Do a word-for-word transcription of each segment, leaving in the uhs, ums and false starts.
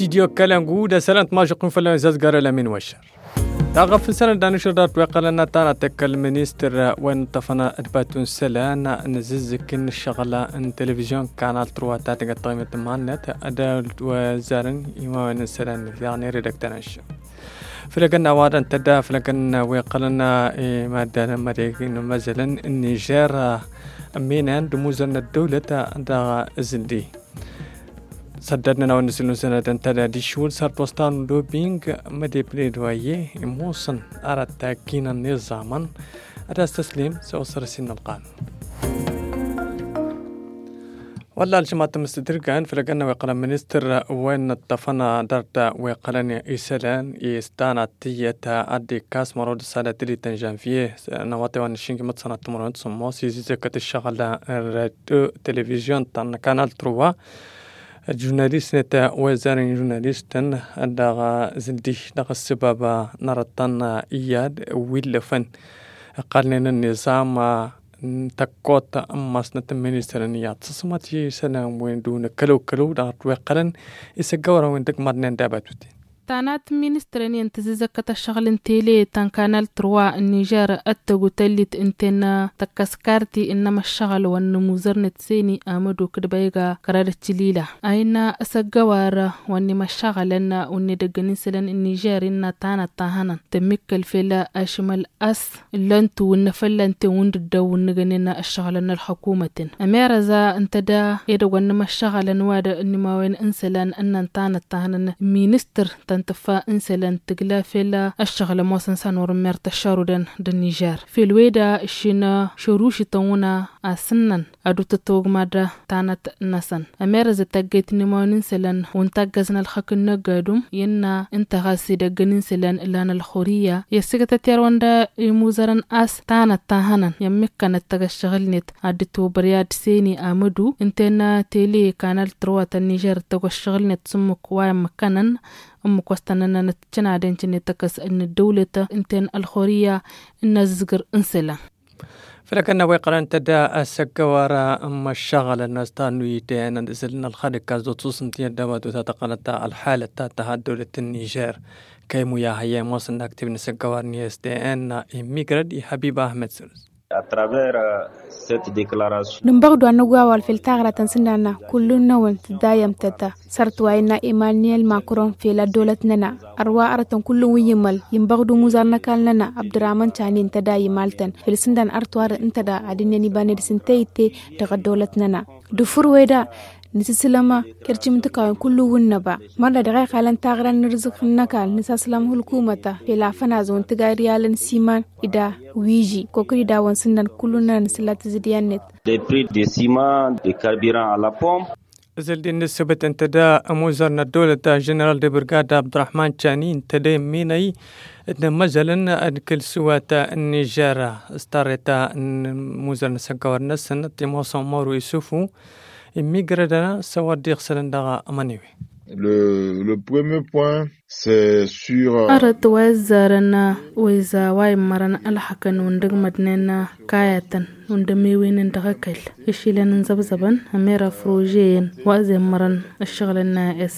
Diyo kălăngu d-asălăn tmažăqqun fălăn zazgară la min wăšăr. Taɣăf n-sălăn danăšăr dat weqqălăn nătana tăkkăl ministăr wăn tăfăna d-batun sălăn n-zǝzzǝk n-ăššăɣla n-televizyon kanal truwa ta tăgăt tăɣimăt mannăt d-wăzzarăn imawen n-sălăn. Yaɣ n-ere dăk-tănăššăr. Fălăgăn n-awadăn tădda fălăgăn weqqălăn i-maddan mădegin măzălăn n-nižer. Ăminen d-muzăr n-ăddăwlăt dăɣ-zǝldi. Săddădnăn a-wen nǝsǝlnusăn ad-ăntăd ad-išwǝl săr-t wăstan lobing mădepned wa i-imusăn ar ăttakkinăn iẓamăn ad-as-tăslim s-awăsăr s-innă ălqanun. Wălla ălžămat măstădrǝgan fălăgăn n-aweqqălăn ministăr wen ǝṭṭăfăn dăr-t weqqălăn isălan i-stanat tiyyăt ad-dd-ikkas mărod s-ad-ătălităn žănviye. N-awăṭe wa n-aššingi măḍsănat timărwen d-sămmos izizăkăt ǝššăɣǝl n-radio televizyon ta n-kanal truwa. Žurnalist-net wezarăn žurnalist-tăn dăɣ-zǝldi dăɣ-ăssăbab n-arătăn iyyad wi illăfăn ǝqqalnen ănniẓam n-tăkkot n-masnăt n-ministăr n-iyyad săsmăt isălan wen d-unăkălăw-kălăw dăɣ-dd-weqqălăn isăggăwărăn wen dăgg-măḍnen d-abatuten. Tanat n-ministăr n-iyyăn tǝzzǝzăkkăt ăššăɣǝl n-tele ta n-kanal truwa n-nižer ăttăgg utăllit ǝnta-en tăkkăs karti ǝnnăm ăššăɣǝl wa n-imuzărnet seni amădok d-băyga kăra d-ăccǝlila a innă asăggăwar wa n-imăššăɣǝlăn wa n-edăggăn isălan n-nižer innă tanăt ta hănăn tămmikkăl fel ašmăl a-s ǝllan-tu ǝnnă fălla ǝnta-en wǝnda dd-ăwwǝnnăgănen ăššăɣǝlăn n-ălxăkumăten ămerăza ǝnta da edăgg wa n-imăššăɣǝlăn wa d-ănnimawen n-isălan ǝnnăn tanăt ta hănăn ministăr ta n-tǝffa n-isălan tǝgla fel ăššăɣǝl ămoosăn s-anor n-mert ăššărudăn d-nižer fel weda ǝššin šărušităn wǝna asǝnnăn ad-utătwăgmad tanăt-năsăn ămerăzăt taggăyt n-imawăn n-isălan wa n-taggăz n-ălxăk n-năggadum i-ǝnna ǝnta ɣas idăggăn n-isălan ǝlan ălxurǝyya i-ăssǝgătăt i-arwăn d-imuzărăn a-s tanăt ta hănăn i-ămmikkănăt tăgg-ăššăɣǝl-net ad-dd-tobăr i-ad-seni amădu ǝnta-en tele kanal truwa ta n-nižer tăgg-ăššăɣǝl-net s-ǝmmǝk wa i-ămmǝkkănăn ǝmmǝk wa s-tăn-ănnănăt cǝnadăn cǝnnet tăkkăs n-ăddăwlăt ǝnta-en ălxurǝyya n-azǝzgăr n-isălan. Făl-ăkănna wa iqqălăn tădda asăggăwar n-imăššăɣălăn n-astan nu-ităyăn ănzălăn ălxadǝk a-s d-otuṣǝn tiyyăt d-abatut a tăqqălăt ălxalăt ta tăha ăddăwlăt n-nižer. Kăy-muya hăyya imoosăn n-aktib n-asăggăwar n-istn immigrăd i-hăbib ahmed sălus. Nǝnbăɣ-dd wa n-nǝgwawal fel taɣra ta n-sǝndanna kullu-năwăn tǝddayăm tăta. Sărt wa innă imaniyel makron fel ăddăwlăt-nănăɣ ărwa arătăn kullu-wǝn immăl inbăɣ-dd umuzăr n-ăkall-nănăɣ abdăramăn canin tăda imaltăn fel sǝndan ărtwar n-tăda ad-ǝnnen ibaned s-ǝnta itte dăɣ-ăddăwlăt-nănăɣ. Dăfur weda nǝsǝslăm kercim n-tǝkawen kullu-wǝn năba mărna dăɣ-a iqalăn taɣra n-irzǝk n-ăkall nǝsăslăm hulkumăta fel afănazăwăn tǝga iryalăn s-iman ida wiži kokăd idawăn sǝnnan kullu-nănăɣ nǝsǝlla tǝzǝdya-net. Ǝzǝl din n-ǝssǝbǝt ǝnta da ămuzăr n-ăddăwlăt ženeral de brigad abdurahman cani ǝnta da imminăy d-inămmăzălăn d-kăl-sǝwat n-nižer s-tarreta n-imuzăr n-asăggăwăr-năsăn timosăn moru isufu immigrădăn s-a-wa dd-iɣsălăn dăɣ-amăniwe. Le premier point c'est sur. Arăt wa izzarăn wa iza wa immărăn ălxăkăn wa n-dăgg-mădnen kayatăn wa n-dămewen n-dăɣ-ăkall išilăn n-zăbzăbăn ămera frožeyăn wa ăzemmărăn ǝššăɣǝlăn n-a s.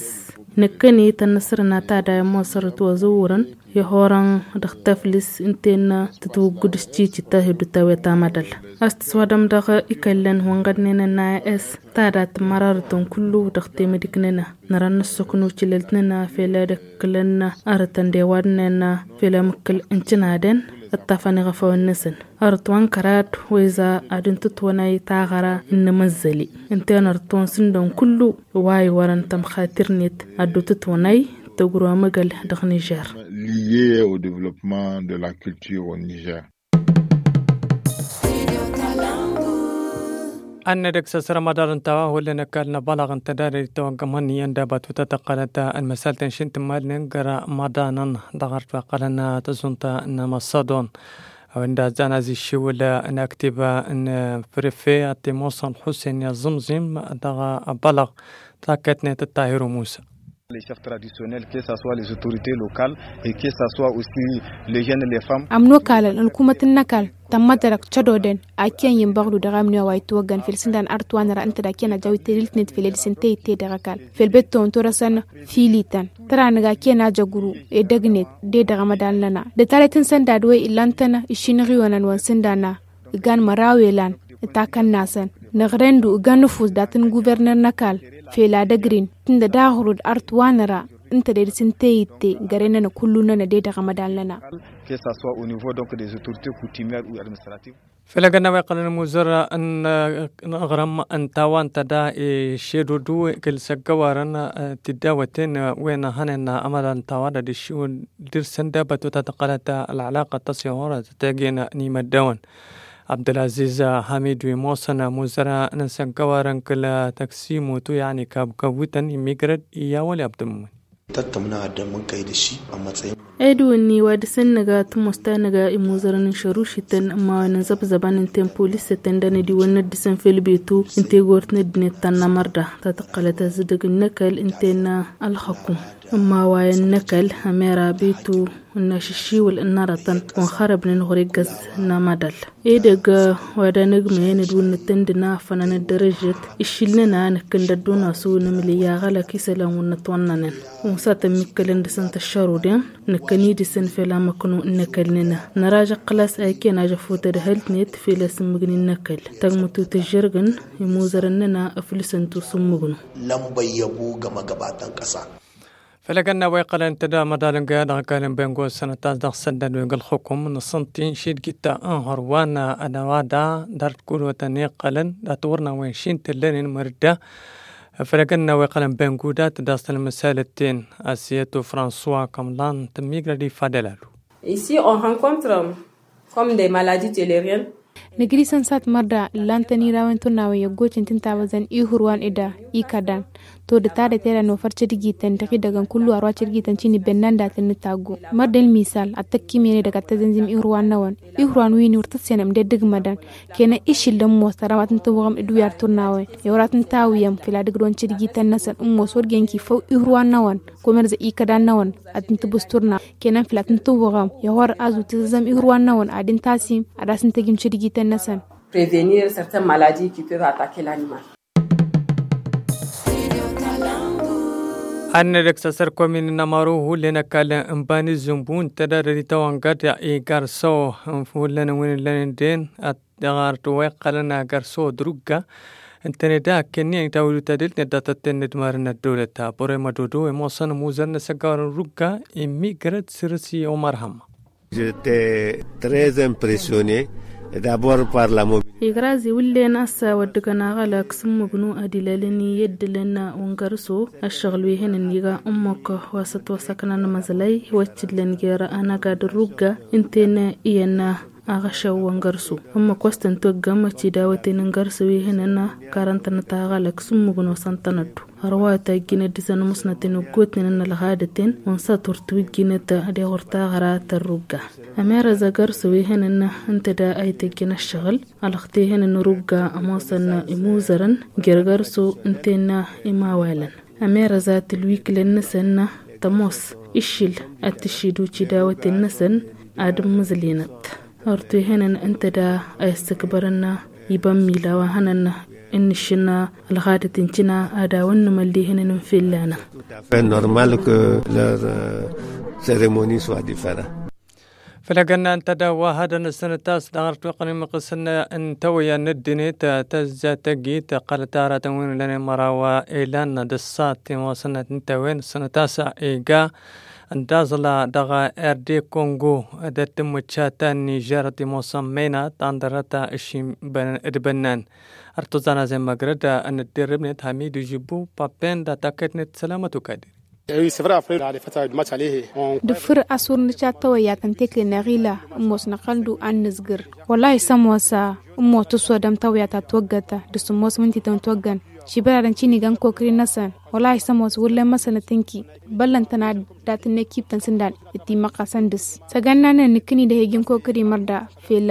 Năkkăne tănnăsrăn a tadayăn mosărăt wa zăwwărăn i-horăn dăɣ-taflǝs ǝnta-en tǝtwǝggǝd s-cicit ta hi-dd-tawe tamădal a-s tǝswadăm dăɣ-ikăllăn wa n-ɣădnen n-a s. Tada tǝmmărarătăn kullu dăɣ-temădik-nănăɣ nărăn nǝssuknu cilălt-nănăɣ fel ad-ǝkkǝlăn arătăn d-ewadnen fel amǝkkǝl n-cǝnadăn ǝṭṭafăn iɣăfawăn-năsăn. Arăt wa n-kărad wa iza ad-ǝntǝtwănay taɣăra n-inǝmăzzăli ǝnta-en ărăt wa n-sǝndăn kullu wa iwărăn tămxatir-net ad-dd-utǝtwănay tăgro amăgăl dăɣ-nižer. Lié au développement de la culture au nižer. Ănnădăk s-asărăm ad-arǝnta wa hullan ăkall n-abălăɣ n-tădare d-tawăggăm hănniyăn d-abatut a tăqqălăt ălmăsaltăn šintǝmmalnen găra măḍanăn dăɣ-arăt wa ăqqălăn tăẓunt n-amăssăḍon. A-wen d-azzan aziššiwǝl n-aktib n-prefe ăttimosăn ḥusen i-aẓǝmẓim dăɣ-abălăɣ takkăyt-net d-tahiru musa. Les chefs traditionnels, que ça soit les autorités locales et que ça soit aussi les jeunes, les femmes. Ămnokalăn ălkumăt n-ăkall tămmădărăk cădodăn a ikyăn inbăɣdu dăɣ-amniwa wa itwăggăn fel s-ǝndan art wa năra ǝnta da ikyăn ajăw ităliltnet fel edǝs ǝnta itte dăɣ-ăkall fel betton torăsăn filităn tăra nǝga ikyăn ajăgru edăgnet de dăɣ-amădal-năna dătaletăn săndad wen illan-tăn išinăɣ iwănăn wa n-sǝndan a ǝgan măraw elan ǝtakăn-nasăn năɣrăyndu ǝgan ǝfus dat-n guverner n-ăkall fel ad-ăgrin tǝndăd aɣrud art wa năra ǝnta de dăɣ-s ǝnta i-itte gărăynănăɣ kullu-nănăɣ de dăɣ-amădal-nănăɣ. Que ça soit au niveau donc des autorités coutumières ou administratives. Fel agănna wa iqqălăn ămuzăr n-aɣrǝm n-tawa ǝnta da išedudu kăl-săggăwarăn tiddawăten wen hănen amădal n-tawa da d-iššiwǝl dăr-săn dăbăt wa ta tăqqălăt ălɣălaqăt tăṣihurăt tăggen n-imăddăwăn. Abdălaziz hamidu imoosăn ămuzăr n-săggăwarăn kăl-tăksimutu yaɣni kabkăwwităn immigrăd iyyawăl i-abdămmun. Tăttămna ad-dămmǝn kăy-dăɣ-ši ămmătsăyăn. Edwǝnni wa dăr-săn nǝga tămoos ta nǝga imuzărăn n-šărušităn ămmawen n-zăbzăbăn ǝnta i-n polisătăn dăr-nădiwăn n-ad-dăr-săn fel betu ǝnta i-gort n-ăddinăt ta n-amărda ta tăqqălăt azǝdǝg n-ăkall ǝnta i-n-ălxăkum ămmawayen n-ăkall ămera betu n-ašǝššiwǝl n-arătăn wa n-xărăbnen ɣur-eggăz n-amădal. Edăgg wa d-anăgmăyăn d-wǝnnǝt tǝndǝna afănăn ăddărăžžăt iššilnăn a nǝkkǝn d-ăddunasu nǝmlǝy aɣălăk isălan wǝnnǝt wănnănen unsatăn mikkălăn dăr-săn tăššăruden nǝkkăn-i dăr-săn fel amăknu n-ăkall-nănăɣ năražăɣ xălas a ikăyăn ažăfut ădhăltnet fel asǝmmǝgni n-ăkall tăgmǝtut ǝžžărgăn imuzărăn-nănăɣ ǝflǝsăn tusǝmmǝgnu. Lămbăyyăbu gămăgăbatăn kăsa. Făll-agănna wa iqqălăn tădamăḍalăn găya dăɣ-ăkall n-bengo sănăt-as dăɣ-săndăn wi găl-xukǝm n-asǝntin šidgit n-hărwan ănăwada dăr-t kulwătăn iqqălăn dat-wărna wen šintǝllănen măr-dd-a. Făll-agănna wa iqqălăn bengo dat-dd-asăn măsalăt-ten asiyăt u-françois kămlan tămmigrăd ifadăl alu. Ici on rencontre comme des maladies tuléariennes. Nǝgri săn sat mărda ǝllan-tăn irawen turnawen i-ăggocen tǝnta wăzăn ihurwan eda ikădan todăt adăt eda nofăr cădgităn dăɣ-idăgăn kullu arwa cădgităn cini bennan datăn n-taggu mărda ălmisal ad-tăkkimiyăn edăgg ad-tăzănzim ihurwan-năwăn. Ihurwan wi n-wăr tǝssenăm d-edăgg mădan kena išil d-ămmos tăra wa tǝntǝwwăɣăm d-wi ar turnawen i-wăr ad-tǝntawǝyăm fel ad-ǝgdon cădgităn-năsăn ămmos wăr gen kifăw ihurwan-năwăn. Komerze ikădan-năwăn ad-tǝntǝbǝsturna kenan fǝla tǝntǝwwăɣăm i-ɣur-azu tǝzzăm ihurwan-năwăn ad-intasim ad-asǝntăjim cǝdjităn-năsăn. Prevenir certaines maladies qui peuvent attaquer l'animal. Ad-nădăk s-asăr komin n-amaru hullen ăkall n-bani zǝmbu n-tădadăd itawăngăd igar s-o hullen n-win-ǝllănen den ad-ăɣarăt wa iqqălăn agar s-o d-rugga. Ǝntăne da ăkkănniyăn itawǝyut adǝl n-ăddatăt-ten n-ǝdmar n-ăddăwlăt abăre mădodo imoosăn ămuzăr n-asăggawăr n-rugga immigrăd săr-s i-omar hămma. J'étais très impressionné d'abord par la mobilité. Igrazi wǝllen assa wăr dd-găn aɣălăk s-ǝmmǝgnu ad-ilalăn i-ăddǝlăn wa n-găr-s-o ăššăɣǝl wi hănen iga ǝmmǝk wa s-ătwăsăknăn măẓlăy wa t-ǝllăn jer-anăgad n-rugga ǝnta-en iyyăn aɣăšăw wa n-găr-s-o ǝmmǝk wa s-tăn-toggăm ătidawăten n-găr-s wi hănen karăn-tănăt aɣălăk s-ǝmmǝgnu wa s-ăntănăddu. Ărwa tajjinăt dăɣ-săn ămussnăten ăggootnen n-ălɣadăten wa n-săḍ wăr t-wǝjjinăt. Deɣ wăr taɣra tărrugga ămerăẓ agăr s-wi hănen ǝnta da a ităjjăn ăššăɣǝl ălɣăt ihănen rugga ămoosăn imuzărăn jer-găr s-o ǝnta-en imawalăn. Ămerăẓ a tǝlwǝklăn-năsăn tămoos iššǝl ad-tǝššǝdu cidawăten-năsăn ad-ǝmmǝẓlinăt. Ărtu ihănen ǝnta da a issǝkbărăn ibămmila wa hănăn ǝnnǝššǝn ălɣadăt n-cina ad-awăn nǝmăl d-ihănen n-fillanăn. Fait normal que leur cérémonie soit différente. Făll-agănna ǝnta da wa hadăn ăssănăt a-s dăɣ-arăt wa iqqălăn imǝqqǝsăn n-tawăyya n-ăddinăt tăzzatăgit ăqqălăt aratăn wi n-ǝllănen măraw ilan d-ăṣṣat i-wa sănnăt n-tawăyya n-ăssănăt a-s iga ǝndaẓla dăɣ-erde kongo d-ăttǝmmǝcca ta n-nižer ătimoosăn măynat andărăt ăššim d-bănnan. Ărtǝẓan a-zen măgrăd ănădderrǝbnet hamidu žibbu pappen d-atakkăytnet sălamăt ukadiri. Dăɣ-făr a-s wăr nǝcat tawăyya ta n-tekle-năɣ ila ǝmmos năɣ-hăndu ad-nǝzgǝr. Wăllahi s-ămoos ǝmmos tǝsodăm tawăyya ta ătwăggăt dăɣ-sǝmmos mǝntităn ătwăggăn. Šibăradăn cini gan kokri-năsăn wăllahi s-ămoos wăr len măsănăt ǝnki băllăn-tăn ad-dat-net kibtăn sǝndan. Dd-imăqqasăn dăɣ-s săgannanăn nǝkkǝni d-ehăjin kokri mărda fel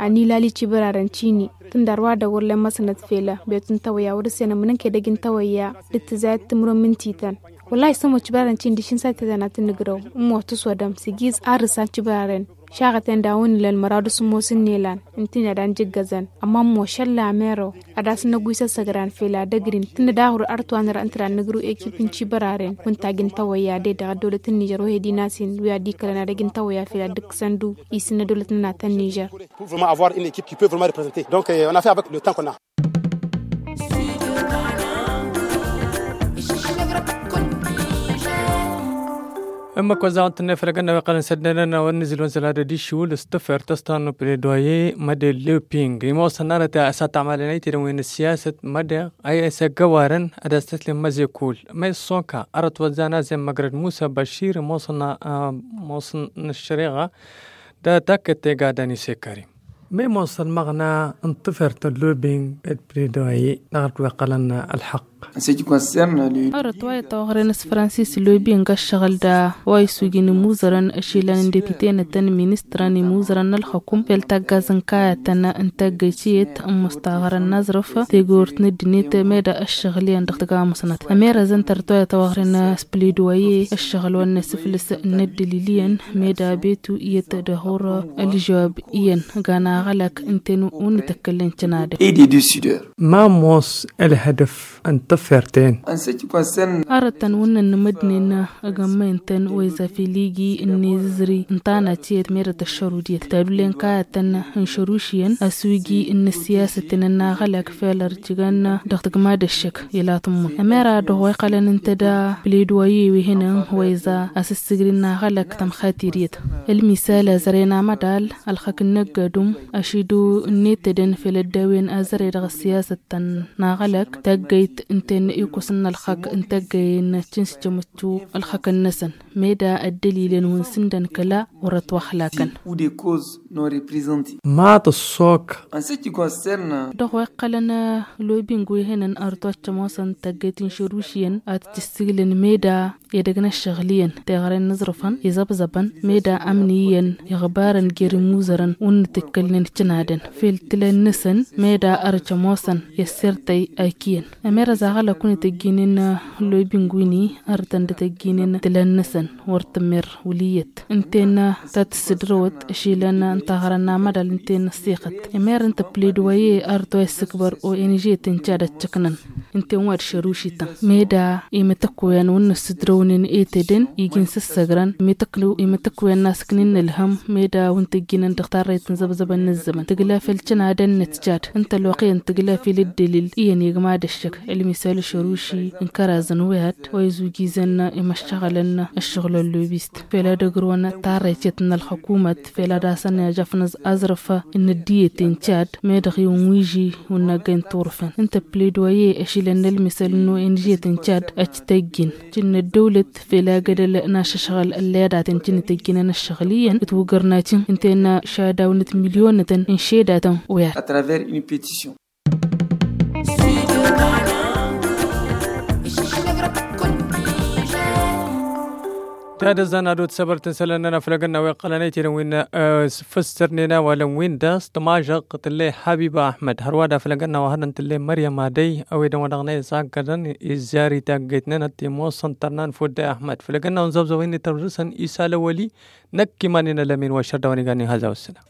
a nilali cibăradăn cini tǝndar wa dăɣ-wăr len măsănăt fel a betun tawăyya wăr-ǝssenăm n-ǝnk edăj n-tawăyya d-tǝzayăt timǝrwen mǝntităn. Wăllahi sămoc cibărarăn cindi šin sate tănatăn nǝgrăw. Ǝmmo tǝswădăm s-igiz arrǝsan cibărarăn. Šaɣăten da wăn ǝllan măraw d-asǝmmos n-ilan. Ǝntǝnna da n-jǝggăzăn. Ămma ǝmmo šălla merăw ad-asǝnnăggu isăssăgran fel ad-ăgrin tǝnnă daɣ wăr ărtwanăr ǝnta da n-nǝgrǝw ekip n-cibărarăn wăn tajǝn tawăyya de-dăɣ ăddăwlăt n-nižăr wăhedin a-s-in wi ad-ikălăn ad-ăj n-tawăyya fel ad-dd-ǝkkǝsăn du isǝnnă ăddăwlăt n-natăn nižăr. Pour vraiment avoir une équipe qui peut vraiment représenter donc on a fait avec le temps qu'on a. Ǝmmǝk wăzzaɣăn tǝnnăy făll-egănna wi iqqălăn săddănăn a-wa n-nǝzǝl wăn zăl ad-ădd iššǝwǝl s-tǝfert ăstannu pledoyer mădel loping imoosăn arăt asatămalen a itedăn wi n-ăssiyasăt mădeɣ a i-s ăggăwarăn ad-as-tăslim măzekul ma issoka arăt wăzzan a-s emmăgrăd musa băšir imoosăn imoosăn n-ăššăreɣa. Da takkăt tegadăn isekări. Ma imoosăn măɣna n-tǝfert n-lobing d-pledoyer dăɣ-ălwăqq ălănna ălxăqq. Arăt wa itawăɣren s-fransis lobing ăššăɣǝl da wa isugin imuzărăn ăšilăn n-depitenătăn ministrăn imuzărăn n-ălxăkum fel taggaz n-kayătăn n-taggăyt iyyăt ămmustaɣărăn n-aẓrǝf tegort n-ăddinăt meda ăššăɣǝl iyyăn dăɣ-tăgamusnăt ămerăzăn tărăt wa itawăɣren s-pledoyer ăššăɣǝl wa n-asǝflǝs n-ăddălil iyyăn meda betu iyyăt dăɣ-wăr ălžăwab iyyăn gan aɣălak ǝnta-en wăr nǝtăkkălnen cănadăn. Ma ămoos ălhădăf n-tǝfert-en. Arătăn wănnăn n-imădnen ăgg ămmăyăn-tăn wa izafel igi n-inǝzzǝri n-tanac iyyăt meddǝt ăššărud iyyăt tadullen kayătăn n-išăruš iyyăn ăswiji n-ăssiyasăt-en n-aɣălak fel ărjǝgăn dăɣ-tǝgma d-ăššăk ila tǝmmǝn ămera dăɣ-wa iqqălăn ǝnta da pledoyer wi hănăn wa iza asǝssǝgri n-aɣălak tămxatir iyyăt. Ălmisal ăzrăyăn amădal ălxăk n-năggădum ăšidǝw n-etădăn fel ăddawen azărăy dăɣ-ăssiyasăt tăn-aɣălak taggăyt ǝnta-en ikusǝn ălxăk n-taggăyen cǝnsǝjămăttu ălxăkăn-năsăn meda ăddălilăn wi n-sǝndăn kăla wăr-ătwăxlakăn. Ma tǝssok. Dăɣ-wa iqqălăn lobing wi hănăn arăt wa t-ămoosăn taggăyt n-išăruš iyyăn ad-t-ǝssǝglǝn meda edăgg n-ăššăɣǝl iyyăn teɣăre n-aẓrǝfăn iẓăbzăbăn meda ămni iyyăn iɣbarăn jer-imuzărăn wăr nǝtǝkkălnen cǝnadăn fel tǝla-năsăn meda ărăj ămoosăn i-ăssirtăy ak iyyăn. Ămerăz aɣălak wăn ităjjinen lobing-win-i arătăn d-ităjjinen tǝla-năsăn wăr tǝmmer wăl' iyyăt ǝnta-en ta tǝssǝdrăwăt ăšilăn n-taɣărăn n-amădal ǝnta-en ăssiixăt. Ămerăn tăppled wa i-arăt wa issǝkbăr o n g tǝncad ăččăknăn ǝnta-en wa d-šărušităn meda imǝtăkk wa n-wăr nǝssǝdrăwnen etădăn iji n-sǝssăgrăn imǝtăkk wa n-asǝknin n-ǝlhăm meda wăn tăjjǝnăn dăɣ-tarrăyt n-zăbzăbăn n-ǝzzămăn tǝgla fel cănadăn n-ǝtcad ǝnta ălwăqq iyyăn tǝgla fel ǝddǝlǝl iyyăn igma d-ăššăk ălmisal ašăruši n-kăraz n-wihad wa izujizăn imăššăɣălăn ăššăɣǝl ăllobist fel ad-ăgrǝwăn tarrăyt n-ălxăkumăt fel ad-asăn ijăfnăẓ aẓrǝf n-ăddinăt n-cad meddăɣ iwǝn wi iji wǝnnăggăy n-turǝfăn ǝnta ăppled wa i-ăšilăn n-ălmisăl n-o n g tǝncad ăcc tăjjin cǝnn ăddăwlăt fel agădăl n-ašăšɣăl ăllăyădaten cǝnn tăjjinăn ăššăɣǝl iyyăn ǝtwǝgărnacǝn ǝnta-en šadawnăt milyonătăn n-šedatăn. Wăyad. Tadăzzan ad-dd-săbăr tǝnsălăn-nănăɣ făll-egănna wa iqqălăn ăytedăn wi n-făssărnen a-wa lăn win-dăɣ s-tămažăɣt tǝllăy habiba ahmăd hărwa da făll-egănna wa hărăn tǝllăy măryăm adăy ăwedăn wa dăɣ-năy s-aggădăn izzar i-taggăyt-nănăɣ timoosăn tărnan fudday ahmăd făll-egănna wa n-zăbzăwăn-i tărrǝsăn isal ăwăl-i. Năkk iman-in ălămin wa šăr dăɣ-wăn igan ihăzaw ǝssǝna.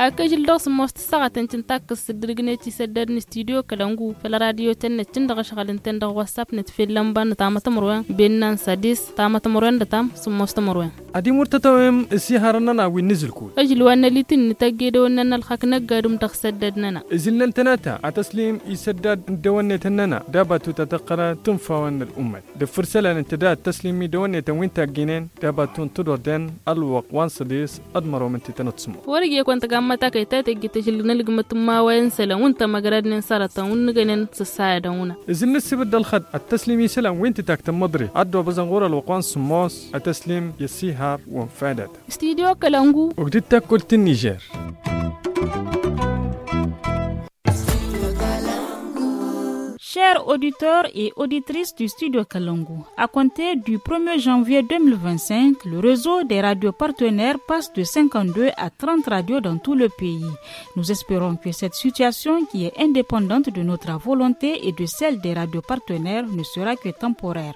Ak ǝžǝl dăɣ-sǝmmos tǝssaɣăt ǝncǝn takkǝst s-dd-ǝrǝgnăt isăddad n-studyo kălăngu făll-radyo tăn-năccǝn dăɣ-ašɣăl ǝntăn dăɣ-wassap-năt fell-ănba n-tamăt timǝrwen bennan s-adis tamăt timǝrwen d-ătam sǝmmos timǝrwen. Ad-imur tătawem ǝsiharăn-nănăɣ wi n-inǝzǝlkul. Ǝžǝl wa n-ălitǝn nǝtăgg edăwănnăn n-ălxak n-ăgg-adǝm dăɣ-isăddad-nănăɣ. Ǝzǝlnăn tănata ad-tăslim isăddad n-dăwănnetăn-nănăɣ d-abatut ad-tăqqăr tǝnfawăn n-ălummăt. Dăɣ-făr isălan ǝnta da ad-tăslim idăwănnetăn wi n-tagginăn d-abatut n-tudordăn ălwăqq wa n-săḍis d-mărwăm ǝnta tăn-ăttsǝmur. Wăr-ija i-kăwăn tăgammăt akăy ta tăjjǝt ažǝl n-ǝlgǝmăt n-imawayen isălan wǝnta măgradnen s-arătăn wǝnnǝgănen s-ăssayădăn wǝnna. Ǝzǝl n-ǝssǝbǝd d-ălxăḍ ad-tăslim isălan wi n-tǝtak tămmăḍrit ad-dd-obăẓăn ɣur-ălwăqq wa n-sǝmmos ad-tăslim i-ăssihar wa n-fadăt. Studyo kălăngu. Ugdǝd takkurt n-nižer. Chers auditeurs et auditrices du studio Kalangu, à compter du premier janvier deux mille vingt-cinq, le réseau des radios partenaires passe de cinquante-deux à trente radios dans tout le pays. Nous espérons que cette situation, qui est indépendante de notre volonté et de celle des radios partenaires, ne sera que temporaire.